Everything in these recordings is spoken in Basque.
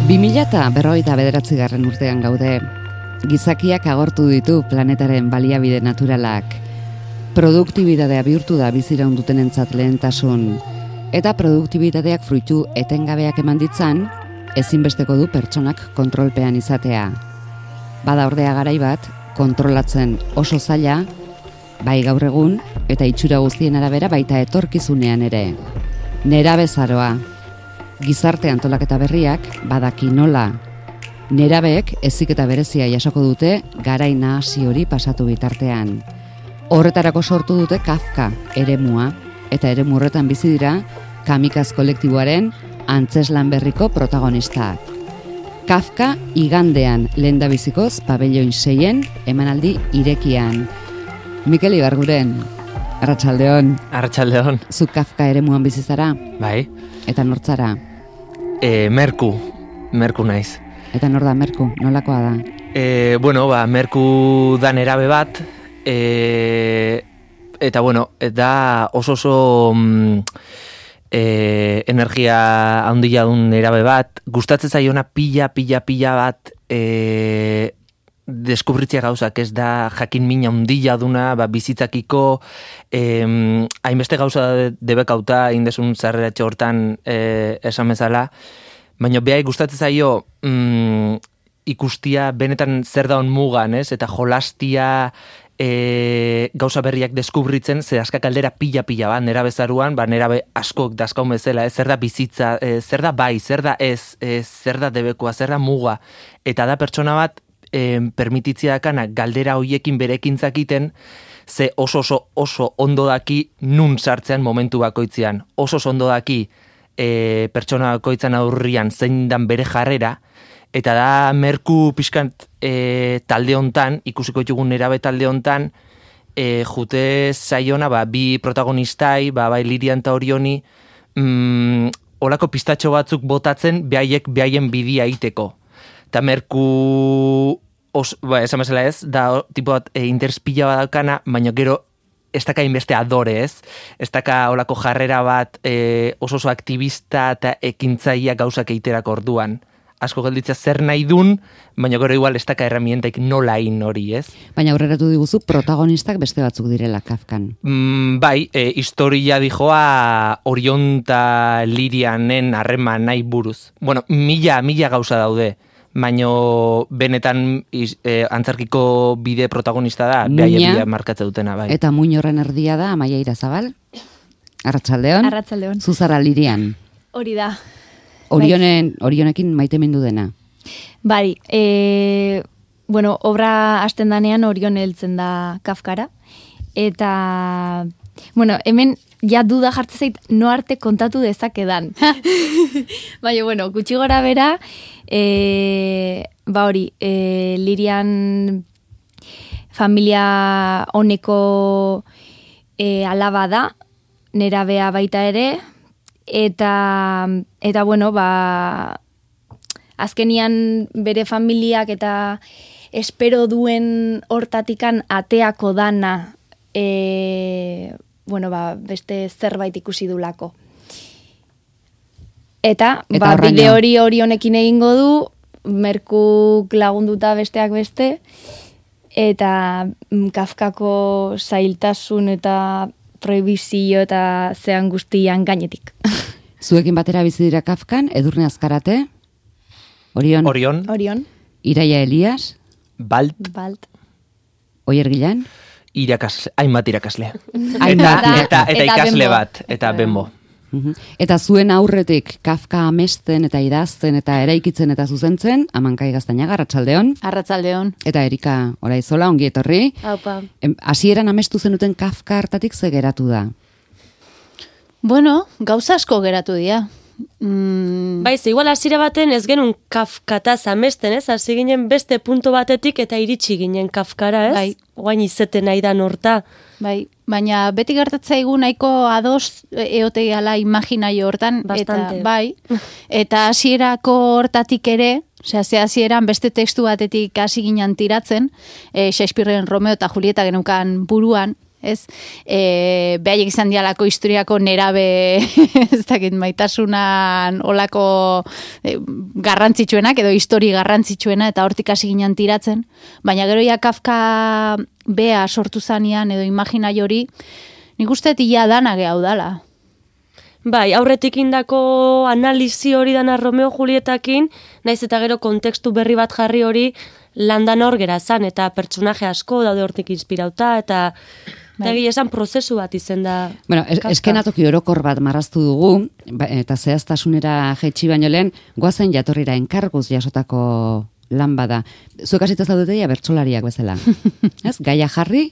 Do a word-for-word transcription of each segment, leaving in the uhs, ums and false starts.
bi mila berrogeita bederatzigarren urtean gaude. Gizakiak agortu ditu planetaren baliabide naturalak. Produktibitatea bihurtu da biziraun dutenentzat lehentasun. Eta produktibitateak fruitu etengabeak eman ditzan, ezinbesteko du pertsonak kontrolpean izatea. Bada ordea garai bat, kontrolatzen oso zaila, bai gaur egun, eta itxura guztien arabera baita etorkizunean ere. Nerabezaroa. Gizarte antolaketa berriak badaki nola. Nerabeek heziketa berezia jasoko dute garai nahasi hori pasatu bitartean. Horretarako sortu dute Kafka eremua, eta eremu horretan bizi dira Kamikaz kolektiboaren antzeslan berriko protagonistak. Kafka igandean lehendabizikoz pabelloin seien emanaldi irekian. Mikel Ibarguren, Arratsaldeon. Arratsaldeon. Zu Kafka eremuan bizi zara? Bai. Eta nortzara? E, Merku, Merku naiz. Eta nor da Merku, nolakoa da? E, bueno, ba, Merku da nerabe bat, e, eta bueno, da oso oso mm, e, energia handia dun nerabe bat, gustatzen zaiona pila, pila, pila bat e, deskubritzea gauzak, ez da jakin mina handia duna, ba, bizitzakiko, eh, hainbeste gauza debekauta indesun zarreratxe hortan eh, esan bezala, baina behai gustatzen zaio mm, ikustia benetan zer daun mugan, ez? Eta jolastia e, gauza berriak deskubritzen, ze askak aldera pila-pila bat, nera bezaruan, ba, nera be askok dazkaun bezala, ez? Zer da bizitza, e, zer da bai, zer da ez, e, zer da debekoa, zer da muga, eta da pertsona bat, E, permititzia dakana galdera hoiekin berekin zakiten, ze oso oso oso ondo daki nun sartzean momentu bakoitzean. Oso oso ondo daki e, pertsona bakoitzan aurrian zein dan bere jarrera, eta da Merku pixkant e, talde hontan, ikusiko ditugun nerabe talde hontan, e, jute zaiona, ba, bi protagonistai, ba, bai Lirian eta Orioni, mm, olako pistatxo batzuk botatzen, behaiek behaien bidia iteko. Eta Merku, os, ba, esan bezala ez, da tipo bat e, interespila badakana, baina gero ez daka inbeste adore ez, ez daka olako jarrera bat e, oso oso aktivista eta ekintzaia gauzak eiterako orduan. Asko gelditzea zer nahi dun, baina gero igual ez daka herramientaik nola in hori ez. Baina aurreratu diguzu protagonistak beste batzuk direla Kafkan. Mm, bai, e, historia dijoa Orion eta Lirianen harreman nahi buruz. Bueno, mila, mila gauza daude. Baino benetan iz, e, antzarkiko bide protagonista da, behaia bidea markatze dutena, bai. Eta muin horren erdia da, Amaia Irazabal? Arratsaldeon? Arratsaldeon. Zuzara Lirian? Hori da. Orionen, Orionekin maite mindu dena? Bai, e, bueno, obra hasten danean Orion heltzen da Kafkara, eta, bueno, hemen ja duda jartzen zait no arte kontatu dezakedan. Baina, bueno, gutxi gora bera, e, ba hori, e, Lirian familia honeko e, alaba da, nerabea baita ere, eta, eta bueno, ba, azkenian bere familiak eta espero duen hortatikan ateako dana, e, bueno, ba, beste zerbait ikusi dulako. Eta, Eta ba, horraino. bide hori hori honekin egingo du, Merkuk lagunduta besteak beste, eta mm, Kafkako zailtasun eta prohibizio eta zean guztian gainetik. Zuekin batera bizi dira Kafkan, Edurne Azkarate, Orion, Orion, Orion, Iraia Elias, Balt, Balt. Oier Gilan, irakasle, hainbat irakasle. Hainbat, eta, eta, eta eta ikasle Bembo. bat, eta Bembo. Mhm. Eta zuen aurretik Kafka amesten eta idazten eta eraikitzen eta zuzentzen, Amankai Gaztañaga, Arratsaldeon, Arratsaldeon. eta Erika Oraizola, ongi etorri. Aupa. Em, Hasieran amestu zenuten Kafka hartatik ze geratu da? Bueno, gauza asko geratu dira. Mm, Bai, ze igual hasiera baten ez genuen Kafkataz amesten, ez? Hasi ginen beste punto batetik eta iritsi ginen Kafkara, ez? Bai. Oain izeten nahi da norta. bai, baina beti gertatzaigu nahiko ados eote gala imaginaio hortan. Bastante. Eta, bai, eta hasierako hortatik ere, osea, ze hasieran beste tekstu batetik hasi ginen tiratzen, e, Shakespearen Romeo eta Julieta genukan buruan, ez? E, behaiek izan dialako historiako nerabe, ez dakit, maitasunan olako e, garrantzitsuenak, edo histori garrantzitsuena, eta hortik hasi ginen tiratzen, baina gero ja Kafka bea sortu zanean, edo imaginaio hori, nik uste ia dana gehau dala. Bai, aurretik indako analizi hori dana Romeo Julietakin, naiz eta gero kontekstu berri bat jarri hori landan hor gera zan, eta pertsonaje asko daude hortik inspirauta, eta eta egia esan prozesu bat izen da. Bueno, es, eskenatoki orokor bat marraztu dugu, ba, eta zehaztasunera jaitsi baino lehen, goazen jatorrira enkarguz jasotako lan bada. Zuek hasita zaudeteia bertsolariak bezala. Ez? Gaia jarri,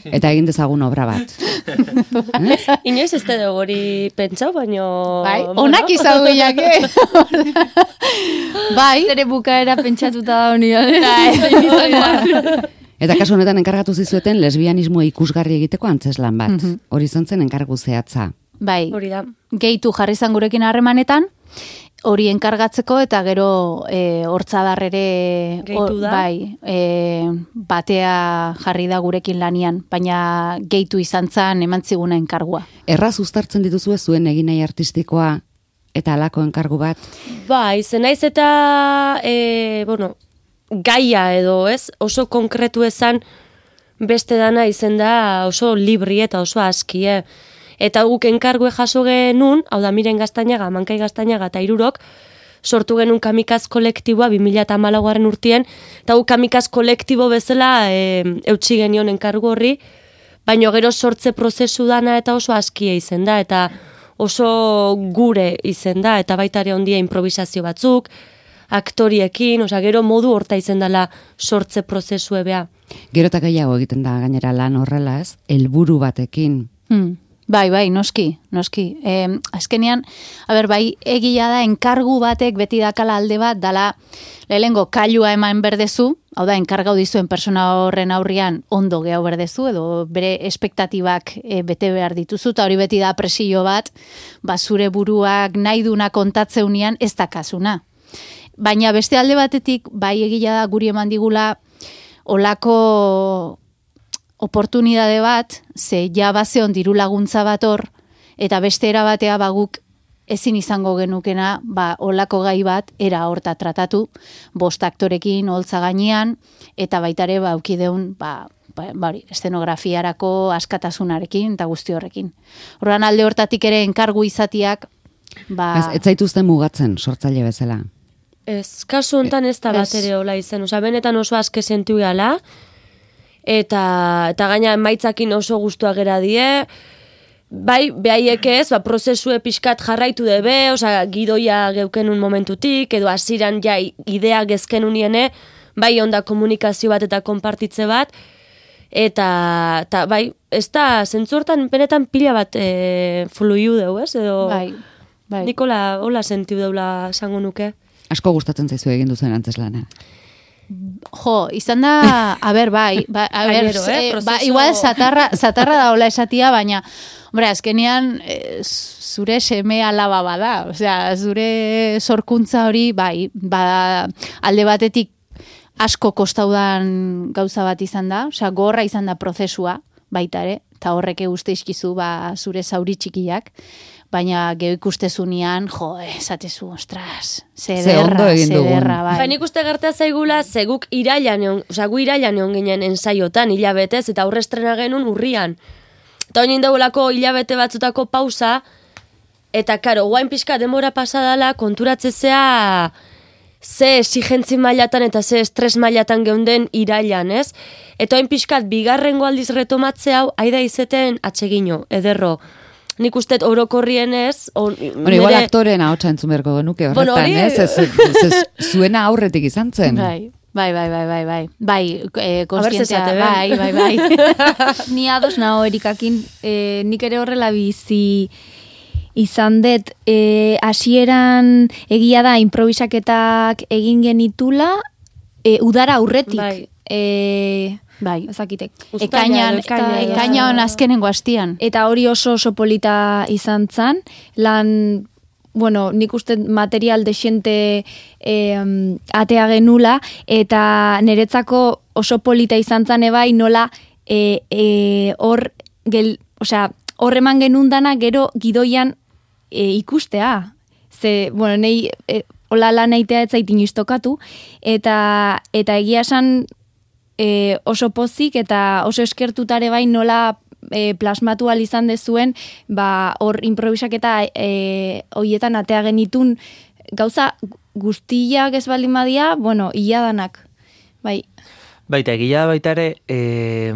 eta egin dezagun obra bat. Inoiz ez da hori pentsau, baino... Bai, onak izan guiak, eh? Bai. Zere bukaera pentsatuta da honi. Eta kasu honetan enkargatu zizueten lesbianismo ikusgarri egiteko antzeslan bat. Mm-hmm. Hori izan zen enkargu zehatza. Bai, hori da. Gehitu jarri zan gurekin harremanetan, hori enkargatzeko eta gero e, hortzadarrere gehitu da. Bai, e, batea jarri da gurekin lanian, baina gehitu izan zan eman ziguna enkargua. Erraz uztartzen dituzue zuen egin nahi artistikoa eta halako enkargu bat? Bai, zenaiz eta e, bueno, gaia edo, ez? Oso konkretu ezan beste dana izen da oso libri eta oso aski, eh? Eta guk enkargue jaso genuen, hau da Miren Gaztañaga, Mankai Gaztañaga eta Irurok, sortu genuen kamikaz kolektiboa bi mila hamalaugarren urtien, eta guk kamikaz kolektibo bezala e, eutsi genion enkargu horri, baino gero sortze prozesu dana eta oso askia izen da, eta oso gure izen da, eta baita ere ondia improvisazio batzuk, aktoriekin, osa gero modu horta izen dela sortze prozesu ebea. Gero eta gehiago egiten da gainera lan horrela, ez? Helburu batekin. Hmm. Bai, bai, noski, noski. E, azkenean, a ber, bai, egia da, enkargu batek beti dakala alde bat, dala, lehengo kailua eman berdezu, hau da, enkargau dizuen persona horren aurrian ondo gehau berdezu, edo bere espektatibak e, bete behar dituzu, eta hori beti da presio bat, ba, zure buruak nahi duna kontatzeunean ez dakasuna. Baina beste alde batetik, bai, egia da, guri eman digula, olako oportunidade bat, ze ja bazeon diru laguntza bat hor, eta beste era batea baguk ezin izango genukena, ba, olako gai bat, era horta tratatu, bost aktorekin, holtza gainean, eta baitare, ba, aukideun, ba, ba, bari, eszenografiarako askatasunarekin, eta guzti horrekin. Horran alde hortatik ere enkargu izatiak, ba... Ez, ez zaituzten mugatzen, sortzaile bezala. Ez, kasu hontan ez da bat ere hola izen, oza, benetan oso aske sentu gala, eta eta gaina emaitzakin oso gustua gera die, bai, behaiek ez, ba, prozesue pixkat jarraitu debe, oza, gidoia geukenun momentutik, edo hasiran ja idea gezken uniene, bai onda komunikazio bat eta konpartitze bat, eta, eta bai, ez da, zentzortan benetan pila bat e, fluiu deu, ez, edo bai, bai. Nikola, hola sentiu deula esango nuke. Asko gustatzen zaizu egin duzen antzeslana. Jo, izan da, a ber, bai, ba, a ber, Gainero, eh, eh, ba, igual zatarra, zatarra da hola esatia, baina, hombre, azkenean, eh, zure seme alaba bada, osea, zure sorkuntza hori, bai, ba, alde batetik asko kostaudan gauza bat izan da, osea, gorra izan da prozesua, baita ere, eta horrek uste izkizu, ba, zure zauri txikiak, baina geho ikustezunean, jo, esatezu, ostras, zederra, zederra, bai. Ba, nik uste gertea zaigula, zeguk irailan egon, oza, gu irailan egon ginen ensaiotan, hilabetez, eta aurre estrena genuen urrian. Eta honin daulako hilabete batzutako pausa, eta karo, guain pixka demora pasadala, konturatzezea ze exigentzi mailatan eta ze estres mailatan geunden irailan, ez? Eta hoin pixkat, bigarrengo aldiz retomatze hau, aida izeten atsegino, ederro. Nik usteet orokorrien ez... On, bueno, igual mere... aktoreen ahotsa entzun beharko genuke horretan, bueno, ez? Ez, ez, ez, zuena aurretik izan zen. Bai, bai, bai, bai, bai, bai, bai, eh, konstientzia, bai, bai, bai. Ni ados naho erikakin, eh, nik ere horrela bizi izan dut, eh, hasieran egia da improvisaketak egin genitula, eh, udara aurretik. Bai. Eh, Bai, ezakitek. Ekainan, ekainan azkenengo hastian. Eta hori oso oso polita izan zan, lan, bueno, nik uste material desiente eh, atea genula, eta niretzako oso polita izan zan ebai nola eh, eh, hor gel, osea, horreman genundana gero gidoian e, ikustea. Ze, bueno, nei, e, hola lan aitea ez zaitin iztokatu, eta, eta egia esan e, oso pozik eta oso eskertutare bai nola e, plasmatu al izan dezuen, ba, hor improvisaketa e, hoietan atea genitun gauza guztiak ez baldin badia, bueno, iladanak, bai. Baita, egia baita ere, e,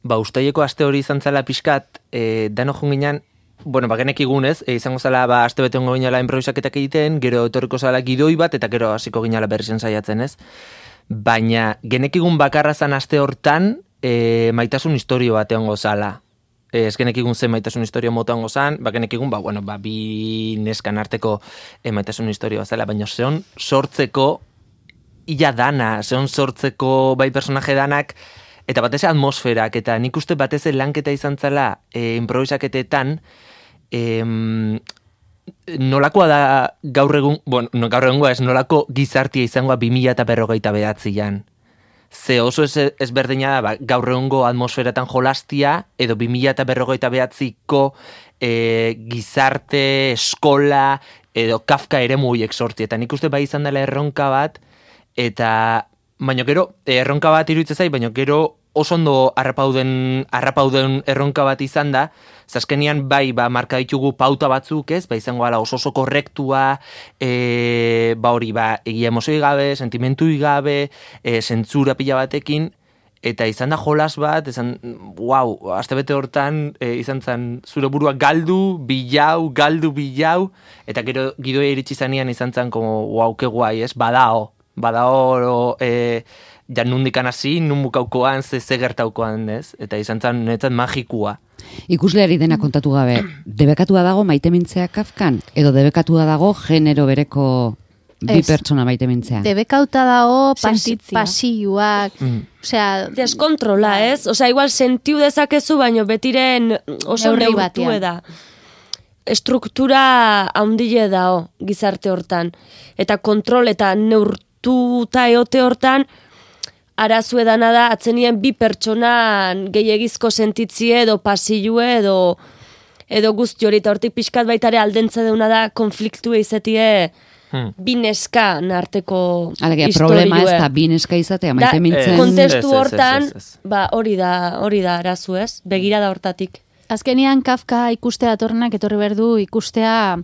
ba, ustaileko aste hori izan zela pixkat, e, dano junginan, bueno, ba, genek igunez, e, izango zela, ba, aste bete hongo ginala improvisaketak egiten, gero etorriko zela gidoi bat, eta gero hasiko ginala berrien saiatzen, ez? Baina, genek igun bakarra zan aste hortan, e, maitasun historio bat egongo zala. E, ez genek igun zen maitasun historio mota egongo zan, ba, genek igun, ba, bueno, ba, bi neskan arteko e, maitasun historio bat zela, baina zeon sortzeko, ia dana, zeon sortzeko bai personaje danak, eta batez atmosferak, eta nik uste batez lanketa izan zela e, improvisaketetan, e, nolakoa da gaur egun, bueno, no, gaur egungoa ez nolako gizartia izangoa bi mila eta berrogeita behatzian. Ze oso ez, ezberdina da, ba, gaur egungo atmosferatan jolastia, edo bi mila eta berrogeita behatziko e, gizarte, eskola, edo Kafka ere muiek sorti, eta nik uste bai izan dela erronka bat, eta baina gero, erronka bat iruditzen zait, baina gero oso ondo harrapauden, harrapauden erronka bat izan da, zazkenian bai, ba, marka ditugu pauta batzuk, ez, ba, izango ala oso oso korrektua, e, ba hori, ba, egia emozioi gabe, sentimentu gabe, e, zentzura pila batekin, eta izan da jolas bat, izan, wow, astebete hortan, e, izan zen, zure burua galdu, bilau, galdu, bilau, eta gero gidoia iritsi zanean izan zen, como, wow, ke guai, ez, badao, badao, e, ja nundikan hasi, nun bukaukoan, ze, ze gertaukoan, ez? Eta izan zen, netzat magikua. Ikusleari dena kontatu gabe, debekatua dago maite mintzea Kafkan? Edo debekatua dago genero bereko bi Ez. pertsona maite mintzea? Debekauta dago pas, Sentitzia. pasioak, Mm. osea, Deskontrola, ez? Osea, igual sentiu dezakezu, baino betiren oso Neurri neurtu batean. da. Struktura haundile dao gizarte hortan. Eta kontrol eta neurtuta eote hortan, arazu edana da, atzenien bi pertsonan gehiagizko sentitzie edo pasilue edo edo guzti hori, eta hortik pixkat baitare aldentza deuna da konfliktu izatie Hmm. bi neskan arteko Alegia, istoriue. problema ez da bi neska izatea Da, maite mintzen. Ez, kontestu ez, ez, hortan, ez, ez, ez. ba, hori da, hori da arazu, ez? Begirada hortatik. azkenean Kafka ikustea atornak etorri behar du ikustea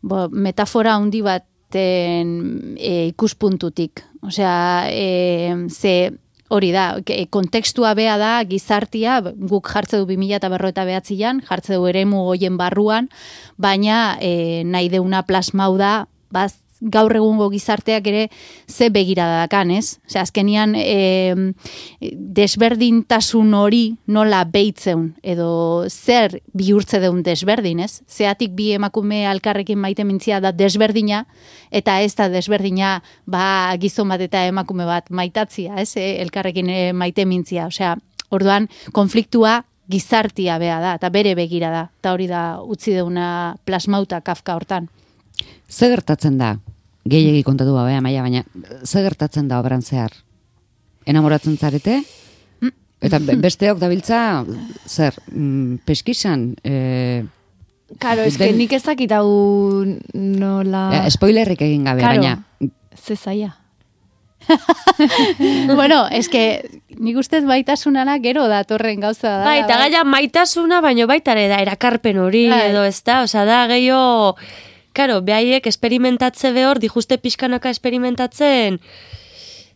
bo, metafora handi baten e, ikuspuntutik. Osea, e, ze hori da, ke- kontekstua bea da gizartia, guk jartze du bi mila eta berrogeita behatzian, jartze du eremu hoien barruan, baina e, nahi deuna plasmau da, baz, gaur egungo gizarteak ere ze begirada dakan, ez? Osea, azkenian e, desberdintasun hori nola beitzeun, edo zer bihurtze deun desberdin, ez? Zeatik bi emakume alkarrekin maite mintzia da desberdina, eta ez da desberdina ba, gizon bat eta emakume bat maitatzia, ez? E, elkarrekin e, maite mintzia, osea, orduan konfliktua gizartia bea da, eta bere begira da, eta hori da utzi deuna plasmauta Kafka hortan. Ze gertatzen da? Gehiegi kontatu gabe, Amaia, baina ze gertatzen da obran zehar? Enamoratzen zarete? Eta be- besteok dabiltza, zer, mm, peskisan, e, Karo, ez que Den- nik ez dakit hau nola... e, spoilerrik egin gabe, Karo, baina ze zaila. Bueno, es que nik ustez baitasunana gero datorren gauza da. Bai, eta gaia maitasuna, baino baita ere da erakarpen hori, Bai. edo ez da, osea, da gehiago, karo, behaiek esperimentatze behor, dijuste pixkanaka esperimentatzen,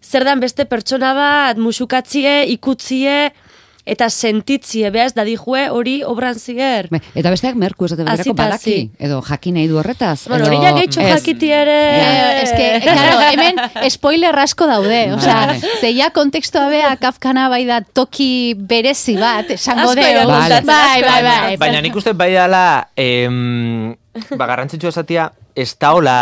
zer dan beste pertsona bat, musukatzie, ikutzie, eta sentitzie, behaz, da dijue hori obran ziger. Be, eta besteak merku esate baterako Azita, badaki, zi. edo jakin nahi du horretaz. Bueno, edo- hori ja gehitxo ez. jakiti ere... Eh, es que, claro, hemen spoiler asko daude, osea, Vale. zeia kontekstua bea Kafkana bai da toki berezi bat, esango Asko deo. irakurtzen, Vale. asko Bai, bai, bai. irakurtzen. Baina nik uste bai dela, em, ba, garrantzitsua esatia, ez da hola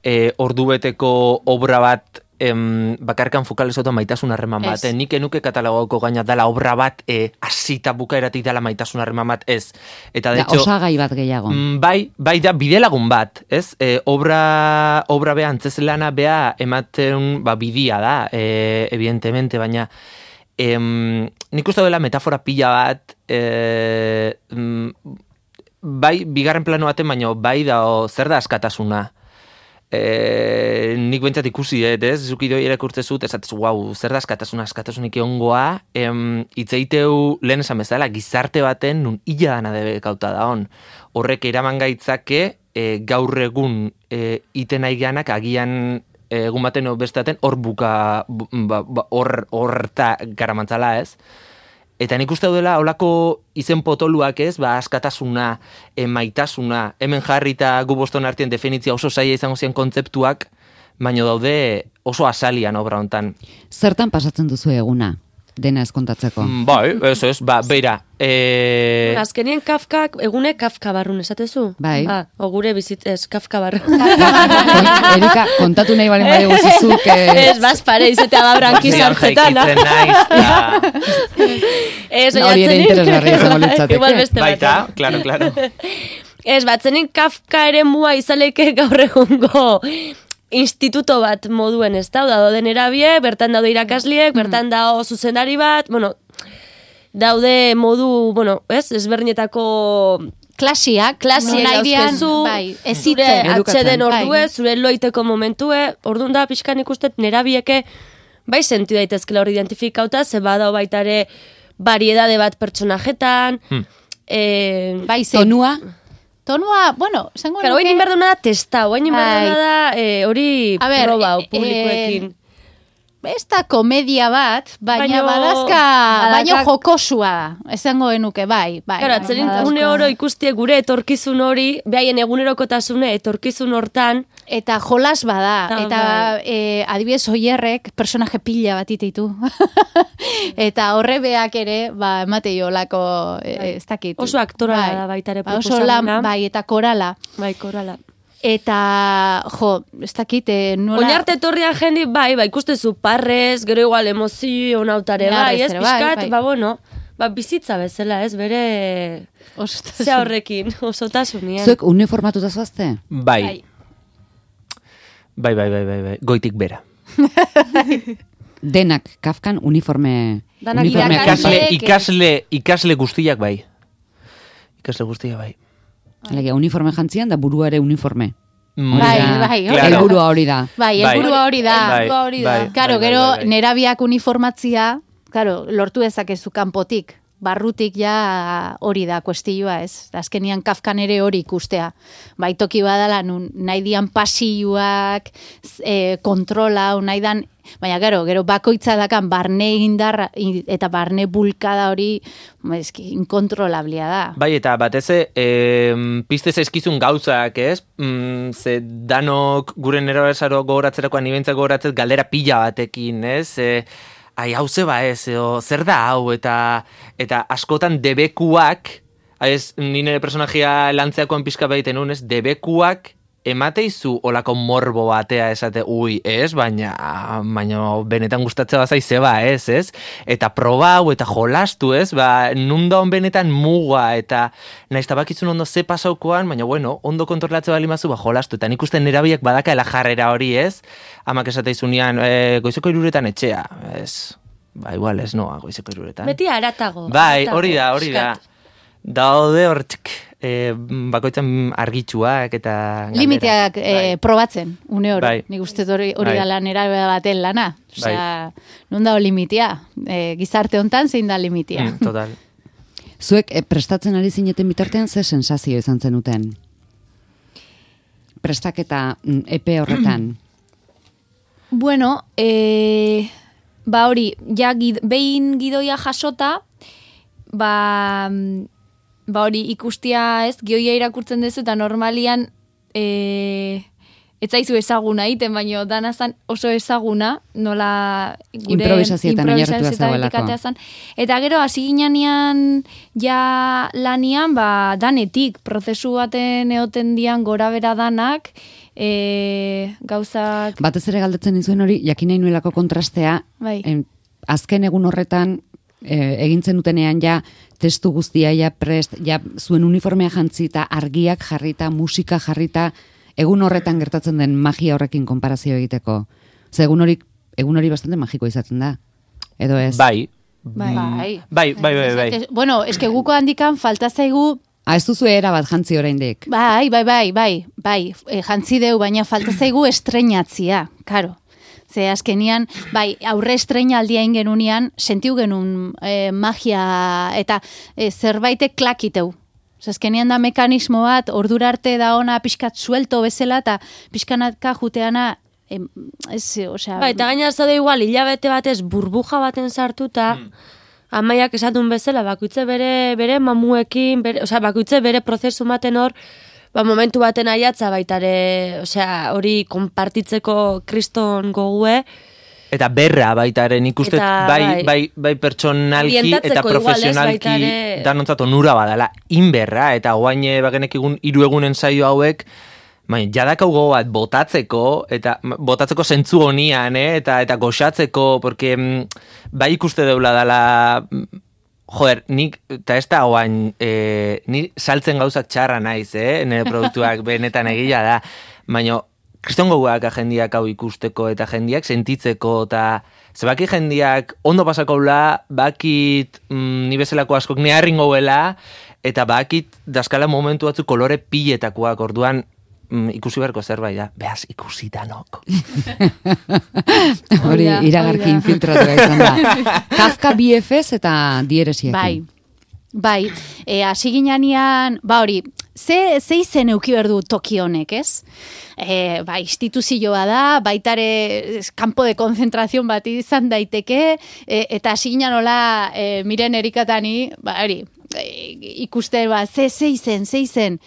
e, ordubeteko obra bat em, bakarkan fokalizotu maitasun harreman bat. Ez. Eh? Nik enuke katalogauko gaina dela obra bat e, asita bukaeratik dela maitasun harreman bat, ez. Eta de Da, hecho, osagai bat gehiago. Mm, bai, bai da bidelagun bat, ez? E, obra, obra bea, antzezelana bea ematen ba, bidia da, e, evidentemente, baina em, nik uste dela metafora pila bat, e, bai, bigarren plano baten, baino bai da, o, zer da askatasuna. E, nik bentsat ikusi, et, ez? Zuki doi irakurtze zut, esatez, wow, zer da askatasuna, askatasunik egongoa, em, itzeiteu lehen esan bezala, gizarte baten nun illa dana debekauta da hon. Horrek eraman gaitzake, e, gaur egun e, iten aiganak agian e, egun baten o bestaten hor buka, ba, ba, hor, horta garamantzala, ez? Eta nik uste dela holako izen potoluak, ez, ba, askatasuna, e, maitasuna, hemen jarrita gu boston artien definitzia oso zaila izango ziren kontzeptuak, baino daude oso asalian obra hontan. Zertan pasatzen duzu eguna, dena ez kontatzeko? Mm, bai, ez ez, ba, beira. E... Azkenien Kafkak, egune Kafka barrun, esatezu? Bai. Ah, ogure bizit, ez, Kafka barrun. Erika, kontatu nahi balen bai guzizuk. Eh... Ez, baz pare, izatea babranki sartzetan. Jaikitzen naiz, Ez, hori ere interesgarria izango litzateke. Igual beste bat. baita, claro, claro. Ez, batzenin Kafka ere mua izaleke gaur egungo instituto bat moduen, ez da, dauden erabie, bertan daude irakasliek, bertan dago zuzendari bat, bueno, daude modu, bueno, ez, ezberdinetako klasiak, klasiek dauzkezu, bai, ez zure zitzen. atxeden Bai. ordue, zure loiteko momentue, orduan da pixkan ikustet nerabieke bai sentu daitezkela hori identifikauta, ze badao baita ere variedade bat pertsonajetan, Hmm. eh, Bai, ze- Tonua, Tonua, bueno, esango Claro, nuke- oin inberduna da testa, oin inberduna Bai. da eh, hori A ber, proba eh, publikoekin. Ez da komedia bat, baina Baino- badazka, badazka- baino jokosua da, esango genuke, bai, bai. Claro, atzerin badazka- une oro ikustie gure etorkizun hori, behaien egunerokotasune etorkizun hortan, Eta jolas bada, Ah, eta bai. e, adibidez oierrek personaje pila bat ititu. Eta horrebeak ere, ba, emate jolako, e, ez dakit. oso aktorala Bai. da baita ere Ba, oso lan, proposamena. bai, eta korala. Bai, korala. Eta, jo, ez dakit, e, nola... Oinarte etorrian jendi, bai, bai, ikustezu parrez, gero igual emozio, nautare, Ja, bai, ez, bezere, bai, pixkat, bai. ba, bueno, ba, bizitza bezala, ez, bere, Oso- ze horrekin, osotasunien. zuek uniformatuta zoazte? Bai. Bai, bai, bai, bai, bai. Goitik bera. Denak Kafkan uniforme... Danak uniforme Ikasle, Ikasleek, ikasle, ikasle guztiak bai. Ikasle guztiak bai. Alegia, uniforme jantzian da burua ere uniforme. Mm, Bai, Hori da. bai, Claro. Helburua hori da. Bai, Bai. helburua hori da. Bai, Helburua hori da. bai, Claro, bai, gero bai, bai. nerabiak uniformatzia, claro, lortu dezakezu kanpotik. Barrutik ja hori da kuestioa, ez? Azkenian Kafkan ere hori ikustea. Bai, toki badala nun nahi dian pasioak, e, kontrola, nahi dan, baina gero, gero bakoitza dakan barne indarra i- eta barne bulkada hori, eski, inkontrolablia da. Bai, eta batez e, piste zaizkizun gauzak, ez? Mm, ze danok gure nerabesaro gogoratzerakoan nibentzak gogoratzet galdera pila batekin, ez? E, ai, hau zeba ez, edo, zer da hau, eta eta askotan debekuak, ez, ni nire personajia lantzeakoan pixka baiten nun, ez, debekuak emateizu olako morbo batea esate, ui, ez, baina, baina benetan gustatzea bazai zeba, ez, ez? Eta proba hau, eta jolastu, ez? Ba, nunda hon benetan muga, eta nahiz tabakitzun ondo ze pasaukoan, baina, bueno, ondo kontrolatze bali mazu, ba, jolastu. Eta nik uste nerabiak badakaela jarrera hori, ez? Amak esateizunean, e, goizeko iruretan etxea, ez? Ba, igual, ez noa, goizeko iruretan. Beti aratago. Bai, aratago, hori da, hori da. pixkat. Daude hor, txik, e, bakoitzan argitxuak eta... galderak. Limiteak eh, Bai. probatzen, une oro. Bai. Nik uste hori, hori Bai. da lan erabe baten lana. Osea, non dago limitea? E, gizarte hontan zein da limitea? Mm, total. Zuek eh, prestatzen ari zineten bitartean ze sensazio izan zenuten? Prestaketa mm, epe horretan. Bueno, e, ba hori, ja gid, behin gidoia jasota, ba, mm, ba hori ikustia ez, gioia irakurtzen duzu eta normalian e, ez zaizu ezaguna iten, baino danazan oso ezaguna, nola gure Improvisazioetan oinarritua improvisazioetan zegoelako. etikatea zan. Eta gero hasi ginean ja lanian, ba danetik, prozesu baten eoten dian gora bera danak, e, gauzak... Batez ere galdetzen nizuen hori, jakin nahi nuelako kontrastea, Bai. em, azken egun horretan, e, egintzen dutenean ja, testu guztia ja prest, ja zuen uniformea jantzita, argiak jarrita, musika jarrita, egun horretan gertatzen den magia horrekin konparazio egiteko. Ze egun hori, egun hori bastante magiko izaten da. Edo ez? Bai, Bai. Bai, bai, bai, bai. Bueno, eske guko handikan falta zaigu. Ah, ez duzu era bat jantzi oraindik. Bai, bai, bai, bai, bai, e, jantzi deu, baina falta zaigu estreinatzia, karo. Ze azkenian, bai, aurre estreinaldia ingenunean, sentiu genuen e, magia eta e, zerbaitek klakiteu. Ze azkenian da mekanismo bat, ordura arte da ona pixkat suelto bezala, eta pixkanatka juteana, em, ez, osea... Bai, eta gaina zaude igual, hilabete batez burbuja baten sartuta, mm. amaiak esatun bezala, bakoitze bere, bere mamuekin, bere, osea, bakoitze bere prozesu maten hor, ba, momentu baten aiatza baitare, osea, hori konpartitzeko kriston gogue. Eta berra baitaren ikustet, Eta, bai, bai. bai, bai pertsonalki eta Orientatzeko profesionalki igual, ez, baitare- danontzat onura badala, inberra, eta guain bagenek egun hiru egunen saio hauek, bai, jadakau gogo bat botatzeko, eta botatzeko zentzu honian, eh? eta eta goxatzeko, porque mm, bai ikuste deula dala, mm, joder, nik, eta ez da guain, eh, ni saltzen gauzak txarra naiz, eh? nire produktuak benetan egila da, baina kriston goguak jendiak hau ikusteko eta jendiak sentitzeko eta zebaki jendiak ondo pasakoula, bakit mm, ni bezalako askok ne harrin gauela eta bakit daskala momentu batzu kolore piletakoak orduan mm, ikusi beharko zerbait da. Beaz, ikusi danok. Hori Oida, iragarki oida. infiltratu izan da. Kafka B F S eta dieresiekin. Bai, bai, e, hasi ginean, ba hori, ze, ze izen euki berdu toki honek, ez? E, ba, instituzioa da, baitare kanpo de konzentrazion bat izan daiteke, e, eta hasi ginean hola, e, miren erikatani, ba hori, e, ikuste, ba, ze, ze izen, ze izen.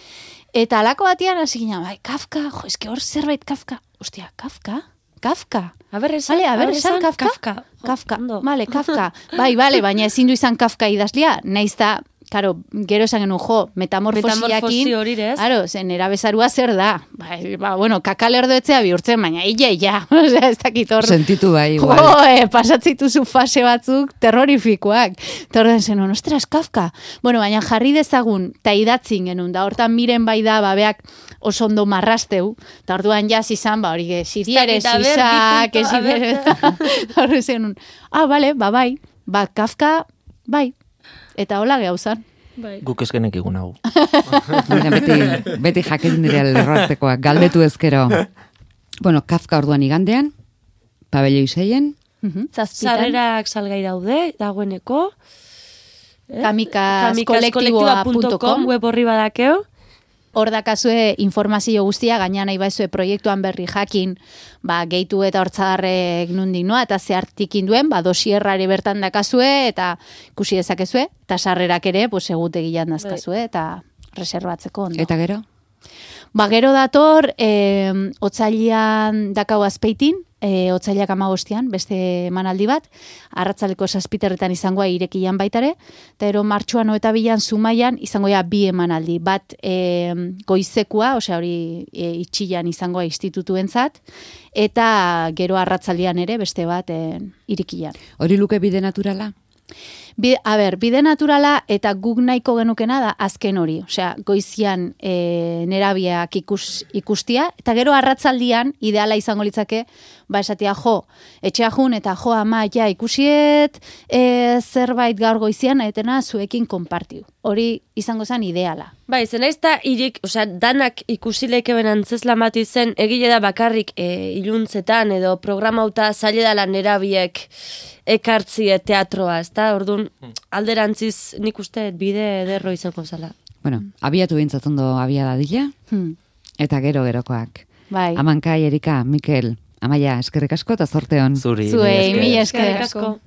Eta alako batian hasi ginean, bai, Kafka, jo, eske hor zerbait Kafka, ostia, Kafka? Kafka. A ber, esan, Vale, a ber, esan Kafka. Kafka. Kafka, Ondo. vale, Kafka. Bai, vale, baina ezin du izan Kafka idazlia, naiz da, karo, gero esan genuen, jo, metamorfosiakin, Metamorfosi hori, ez? Claro, zen erabezarua zer da. Ba, ba bueno, kakalerdoetzea bihurtzen, baina illa, illa. Osea, ez dakit hor. Sentitu bai, igual. Jo, eh, pasatzituzu fase batzuk terrorifikoak. Eta horren zenuen, ostras, Kafka. Bueno, baina jarri dezagun, eta idatzin genuen, da hortan miren bai da, babeak oso ondo marrasteu, eta orduan jaz izan, ba, hori, zidieres, Ez dakit, a ber, izak, bi punto, a ber. ez horren zenuen, ah, bale, ba, bai, ba, Kafka, bai, eta hola gehauzan. Bai. Guk eskenek egun hau. Baina beti, beti jakin dira lerroartekoak, galdetu ezkero. Bueno, Kafka orduan igandean, pabelloi seien, Zazpitan, Sarrerak salgai daude, dagoeneko. Eh? kamikaskolektiboa punto com web horri badakeo. hor dakazue informazio guztia, gaina nahi baizue proiektuan berri jakin, ba, gehitu eta hortzadarrek nundik noa, eta zehartikin duen, ba, dosierrari bertan dakazue, eta ikusi dezakezue, eta sarrerak ere, pues, egutegian dazkazue, eta reservatzeko ondo. eta gero? Ba, gero dator, e, otzailean dakau azpeitin, e, otzailak amagostian, beste emanaldi bat, arratzaleko zazpiterretan izangoa irekian baitare, eta ero martxuan eta bilan Zumaian izangoa bi emanaldi, bat e, goizekua, osea hori e, itxilan izangoa institutuentzat, eta gero arratzaldean ere beste bat e, irikian. Hori luke bide naturala? Bi, a ber, bide naturala eta guk nahiko genukena da azken hori. Osea, goizian e, nerabiak ikus, ikustia, eta gero arratzaldian ideala izango litzake, ba esatia jo, etxea jun eta jo ama ja ikusiet e, zerbait gaur goizian, etena zuekin konpartiu. Hori izango zen ideala. Bai, zen ez da irik, osea, danak ikusileke benantzeslan bat izen, egile da bakarrik e, iluntzetan edo programauta zaile dala nerabiek ekartzie teatroa, ez da? Orduan, alderantziz nik uste bide ederro izango zala. Bueno, abiatu bintzat ondo abia dadila, Hmm. eta gero gerokoak. Bai. Amankai, Erika, Mikel, Amaia, eskerrik asko eta zorte hon. Zuri. Zuei, mila esker. mila Eskerrik esker. asko.